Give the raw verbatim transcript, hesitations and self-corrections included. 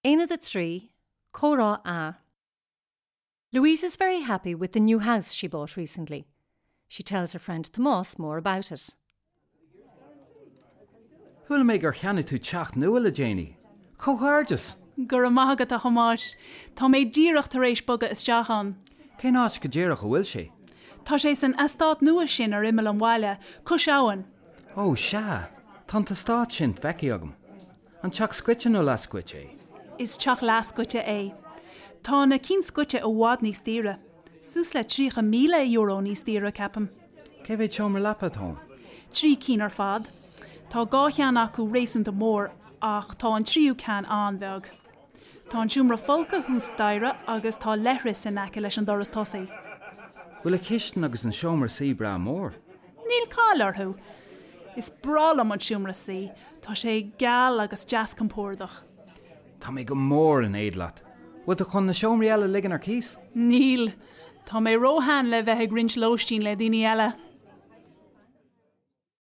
Aonad a trí, Comhrá A. Louise is very happy with the new house she bought recently. She tells her friend Tomás more about it. Chuala mé gur cheannaigh tú teach nua le déanaí. Comhghairdeas! Go raibh maith agat a Thomáis, Tá mé díreach tar éis bogadh isteach ann. Cén áit go díreach a bhfuil sé? Tá sé san eastát nua sin ar imeall an bhaile, cois abhann. Ó sea, tá an t-eastát sin feicthe agam. An teach scoite nó leathscoite é? Is teach leathscoite é. Tá na cinn scoite i bhfad níos daoire. Suas le tríocha míle euro níos daoire ceapaim. Cé mhéad seomra leapa atá ann? Trí cinn ar fad. Tá dhá cheann acu réasúnta mór ach tá an tríú ceann an-bheag. Tá an seomra folctha thuas staighre agus tá leithreas in aice leis an doras tosaigh. Bhfuil an chistin agus an seomra suí breá mór? Níl caill orthu. Is breá liom an seomra suí, Tá sé geal agus deas compordach. Tá mé go mór in éad leat. Bhfuil tú chun na seomraí eile a ligean ar cíos? Níl, Tá mé róshean le bheith ag roinnt lóistín le daoine eile.